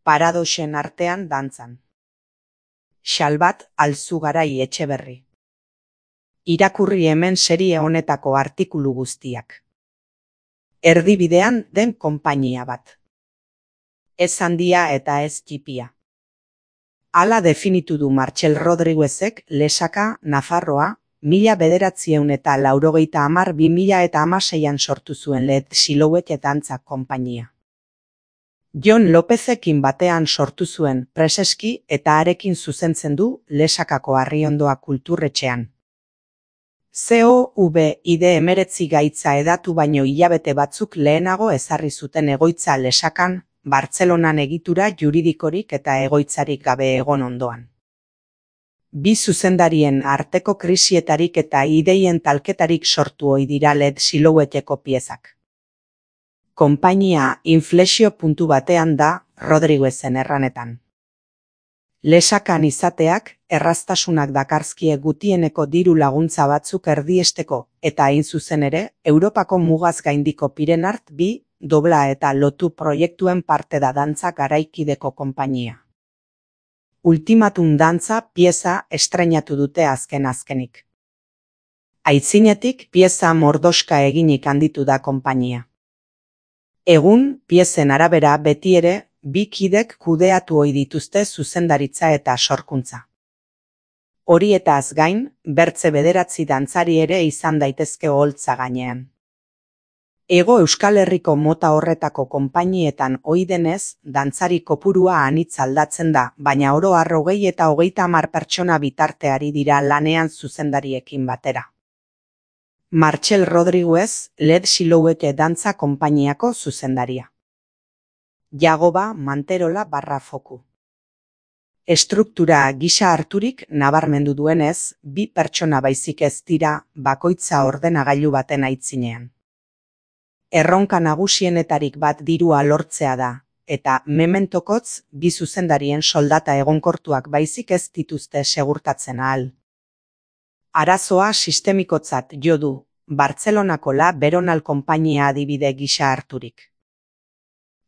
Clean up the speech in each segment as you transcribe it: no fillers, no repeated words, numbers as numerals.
Paradoxen artean dantzan. Xalbat Alzugarai Etxeberri. Irakurri hemen serie honetako artikulu guztiak. Erdibidean den konpainia bat. Ez handia eta ez txipia. Hala definitu du Martxel Rodriguezek Lesaka, Nafarroa, 1990-2016an sortu zuen Led Silhouette dantza konpainia. Jon Lopezekin batean sortu zuen Preseski eta harekin zuzentzen du Lesakako Arriondoa kulturretxean. COVID-19 gaitza hedatu baino hilabete batzuk lehenago ezarri zuten egoitza Lesakan, Bartzelonan egitura juridikorik eta egoitzarik gabe egon ondoan. Bi zuzendarien arteko krisietarik eta ideien talketarik sortu ohi dira Led Silhouetteko piezak. Konpainia inflexio puntu batean da Rodriguezen erranetan. Lesakan izateak erraztasunak dakarzkie gutieneko diru laguntza batzuk erdiesteko eta hain zuzen ere Europako mugaz gaindiko Pirenart 2 dobla eta lotu proiektuen parte da dantza garaikideko konpainia. Ultimatum dantza pieza estreinatu dute azkenik. Aitzinetik pieza mordoska eginik handitu da konpainia. Egun, piezen arabera beti ere, bi kidek kudeatu ohi dituzte zuzendaritza eta sorkuntza. Horietaz gain, bertze 9 dantzari ere izan daitezke oholtza gainean. Hego Euskal Herriko mota horretako konpainietan ohi denez, dantzari kopurua anitz aldatzen da, baina oro har 20 eta 30 pertsona bitarteari dira lanean zuzendariekin batera. Martxel Rodriguez, Led Silhouette dantza konpainiako zuzendaria. Jagoba Manterola /Foku. Estruktura gisa harturik nabarmendu duenez, 2 pertsona baizik ez dira bakoitza ordenagailu baten aitzinean. Erronka nagusienetarik bat dirua lortzea da, eta mementokotz 2 zuzendarien soldata egonkortuak baizik ez dituzte segurtatzen ahal. Arazoa sistemikotzat jo du, Bartzelonako La Veronal konpainia adibide gisa harturik.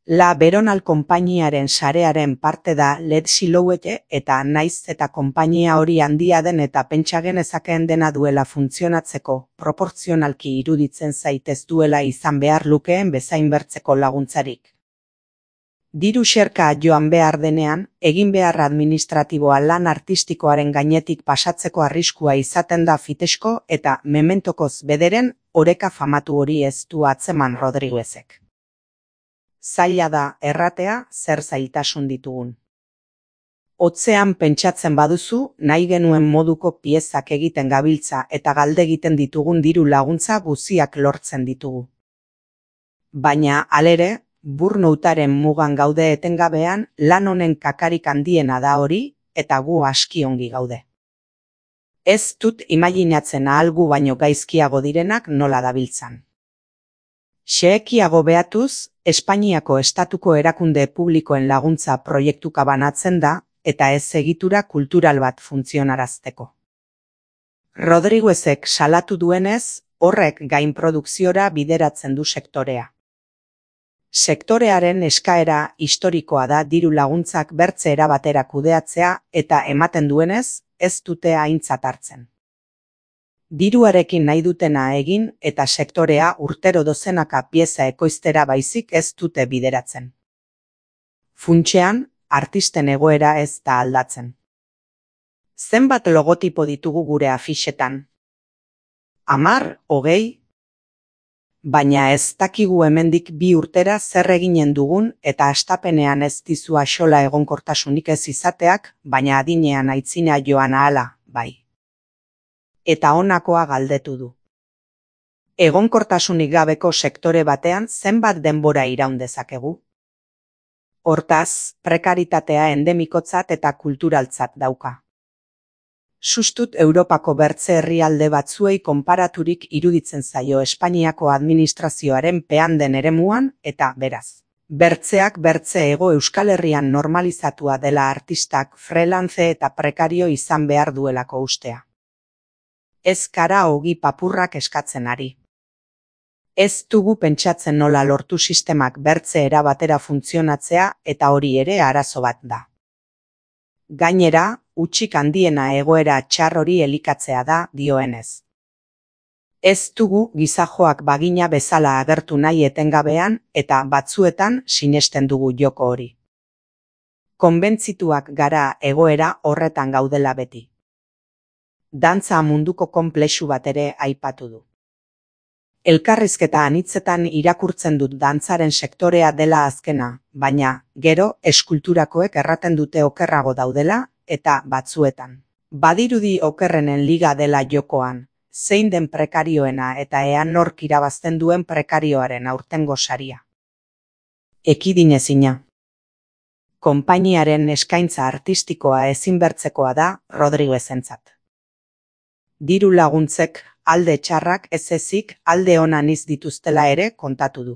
La Veronal konpainiaren sarearen parte da Led Silhouette eta naiz eta konpainia hori handia den eta pentsa genezakeen dena duela funtzionatzeko, proportzionalki iruditzen zaitez duela izan behar lukeen bezain bertzeko laguntzarik. Diru xerka joan behar denean, egin behar administratiboa lan artistikoaren gainetik pasatzeko arriskua izaten da fitesko eta mementokoz bederen oreka famatu hori ez du atzeman Rodriguezek. Zaila da erratea zer zailtasun ditugun. Hotzean pentsatzen baduzu, nahi genuen moduko piezak egiten gabiltza eta galde egiten ditugun diru laguntza guziak lortzen ditugu. Baina, halere, burnoutaren mugan gaude etengabean, lan honen kakarik handiena da hori, eta gu aski ongi gaude. Ez dut imaginatzen ahalgu baino gaizkiago direnak nola dabiltzan. Xehekiago behatuz, Espainiako estatuko erakunde publikoen laguntza proiektuka banatzen da, eta ez egitura kultural bat funtzionarazteko. Rodriguezek salatu duenez, horrek gainprodukziora bideratzen du sektorea. Sektorearen eskaera historikoa da diru laguntzak bertze erabatera kudeatzea eta ematen duenez, ez dute aintzat hartzen. Diruarekin nahi dutena egin eta sektorea urtero dozenaka pieza ekoiztera baizik ez dute bideratzen. Funtsean, artisten egoera ez da aldatzen. Zenbat logotipo ditugu gure afixetan? 10, 20? Baina ez dakigu hemendik 2 urtera zer eginen dugun eta hastapenean ez dizu axola egonkortasunik ez izateak, baina adinean aitzina joan ahala, bai. Eta honakoa galdetu du. Egonkortasunik gabeko sektore batean zenbat denbora iraun dezakegu? Hortaz, prekaritatea endemikotzat eta kulturaltzat dauka. Sustut Europako bertze herrialde batzuei konparaturik iruditzen zaio Espainiako administrazioaren pean den eremuan eta beraz. Bertzeak bertze Hego Euskal Herrian normalizatua dela artistak freelance eta prekario izan behar duelako ustea. Ez kara ogi papurrak eskatzen ari. Ez dugu pentsatzen nola lortu sistemak bertze era batera funtzionatzea eta hori ere arazo bat da. Gainera, hutsik handiena egoera txar hori elikatzea da, dioenez. Ez dugu gizajoak bagina bezala agertu nahi etengabean eta batzuetan sinesten dugu joko hori. Konbentzituak gara egoera horretan gaudela beti. Dantza munduko konplexu bat ere aipatu du. Elkarrizketa anitzetan irakurtzen dut dantzaren sektorea dela azkena, baina, gero, eskulturakoek erraten dute okerrago daudela, eta batzuetan. Badirudi okerrenen liga dela jokoan, zein den prekarioena eta ea nork irabazten duen prekarioaren aurtengo saria. Ekidinezina. Konpainiaren eskaintza artistikoa ezinbertzekoa da Rodriguezentzat. Diru laguntzek, alde txarrak ez ezik alde onan dituztela ere kontatu du.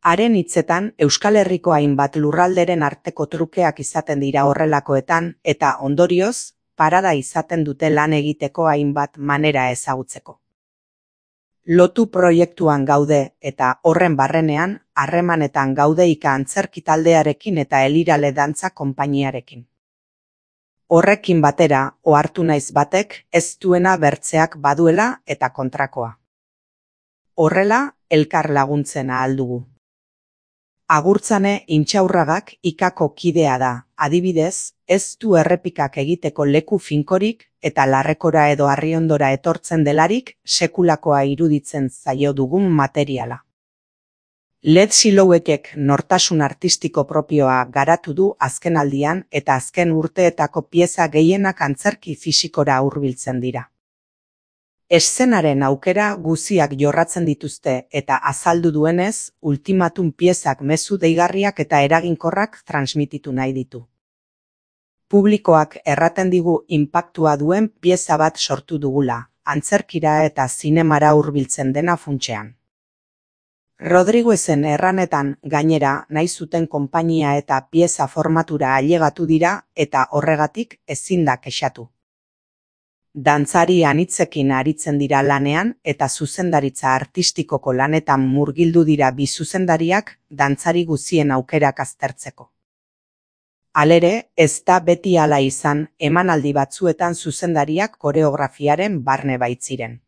Haren hitzetan, Euskal Herriko hainbat lurralderen arteko trukeak izaten dira horrelakoetan eta ondorioz, parada izaten dute lan egiteko hainbat manera ezagutzeko. Lotu proiektuan gaude eta horren barrenean, harremanetan gaude ika antzerki taldearekin eta Elirale dantza konpainiarekin. Horrekin batera, ohartu naiz batek ez duena bertzeak baduela eta kontrakoa. Horrela, elkar laguntzen ahal dugu. Agurtzane Intxaurragak ikako kidea da, adibidez, ez du errepikak egiteko leku finkorik eta larrekora edo Arriondora etortzen delarik sekulakoa iruditzen zaio dugun materiala. Led Silhouettek nortasun artistiko propioa garatu du azkenaldian eta azken urteetako pieza gehienak antzerki fisikora hurbiltzen dira. Eszenaren aukera guziak jorratzen dituzte eta azaldu duenez, ultimatum piezak mezu deigarriak eta eraginkorrak transmititu nahi ditu. Publikoak erraten digu inpaktua duen pieza bat sortu dugula, antzerkira eta zinemara hurbiltzen dena funtsean. Rodriguezen erranetan gainera nahi zuten konpainia eta pieza formatura ailegatu dira eta horregatik ezin da kexatu. Dantzari anitzekin aritzen dira lanean eta zuzendaritza artistikoko lanetan murgildu dira bi zuzendariak dantzari guzien aukerak aztertzeko. Halere, ez da beti hala izan, emanaldi batzuetan zuzendariak koreografiaren barne baitziren.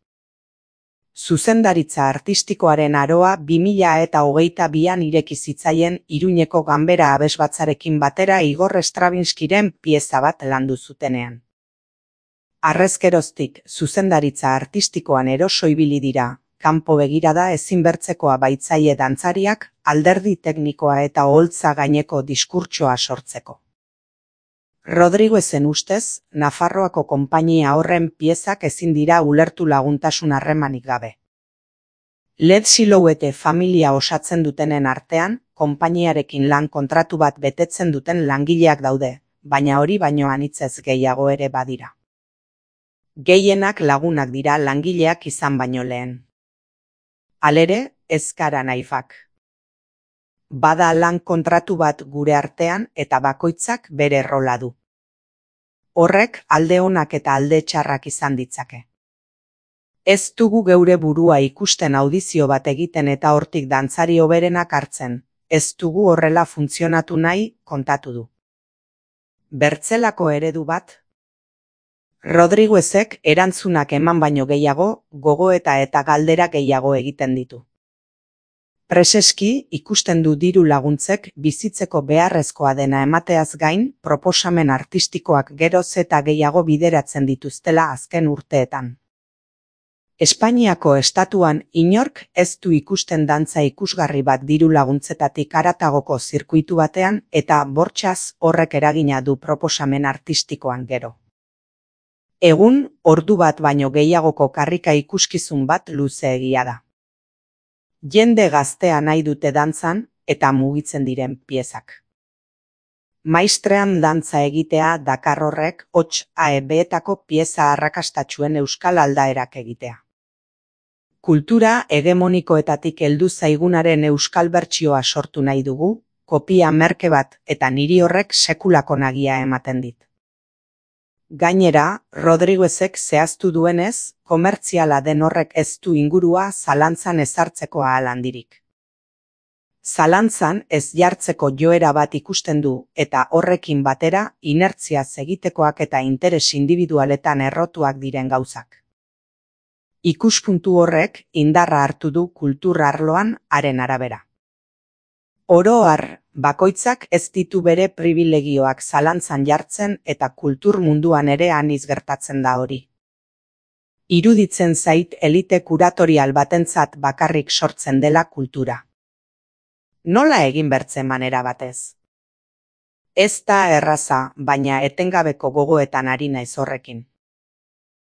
Zuzendaritza artistikoaren aroa 2022an ireki zitzaien Iruñeko Ganbera abesbatzarekin batera Igor Stravinskiren pieza bat landu zutenean. Harrezkeroztik zuzendaritza artistikoan eroso ibili dira, kanpo begirada ezinbertzekoa baitzaie dantzariak, alderdi teknikoa eta oholtza gaineko diskurtsoa sortzeko. Rodriguezen ustez, Nafarroako konpainia horren piezak ezin dira ulertu laguntasun harremanik gabe. Led Silhouette familia osatzen dutenen artean, konpainiarekin lan kontratu bat betetzen duten langileak daude, baina hori baino anitzez gehiago ere badira. Gehienak lagunak dira langileak izan baino lehen. Halere, ez gara naifak. Bada lan kontratu bat gure artean eta bakoitzak bere rola du. Horrek alde onak eta alde txarrak izan ditzake. Ez dugu geure burua ikusten audizio bat egiten eta hortik dantzari hoberenak hartzen, ez dugu horrela funtzionatu nahi, kontatu du. Bertzelako eredu bat? Rodriguezek erantzunak eman baino gehiago, gogoeta eta galdera gehiago egiten ditu. Preseski ikusten du diru laguntzek bizitzeko beharrezkoa dena emateaz gain, proposamen artistikoak geroz eta gehiago bideratzen dituztela azken urteetan. Espainiako estatuan inork ez du ikusten dantza ikusgarri bat diru laguntzetatik haratagoko zirkuitu batean eta bortxaz horrek eragina du proposamen artistikoan gero. Egun, ordu bat baino gehiagoko karrika ikuskizun bat luzeegia da. Jende gaztea nahi dute dantzan eta mugitzen diren piezak. Maistrean dantza egitea dakar horrek hots AEB-etako pieza arrakastatxuen euskal aldaerak egitea. Kultura hegemonikoetatik heldu zaigunaren euskal bertsioa sortu nahi dugu, kopia merke bat eta niri horrek sekulako nagia ematen dit. Gainera, Rodriguezek zehaztu duenez, komertziala den horrek ez du ingurua zalantzan ezartzeko ahal handirik. Zalantzan ez jartzeko joera bat ikusten du eta horrekin batera inertziaz egitekoak eta interes indibidualetan errotuak diren gauzak. Ikuspuntu horrek indarra hartu du kultur arloan haren arabera. Oro har, bakoitzak ez ditu bere pribilegioak zalantzan jartzen eta kultur munduan ere aniz gertatzen da hori. Iruditzen zait elite kuratorial batentzat bakarrik sortzen dela kultura. Nola egin bertzen manera batez? Ez da erraza, baina etengabeko gogoetan ari naiz horrekin.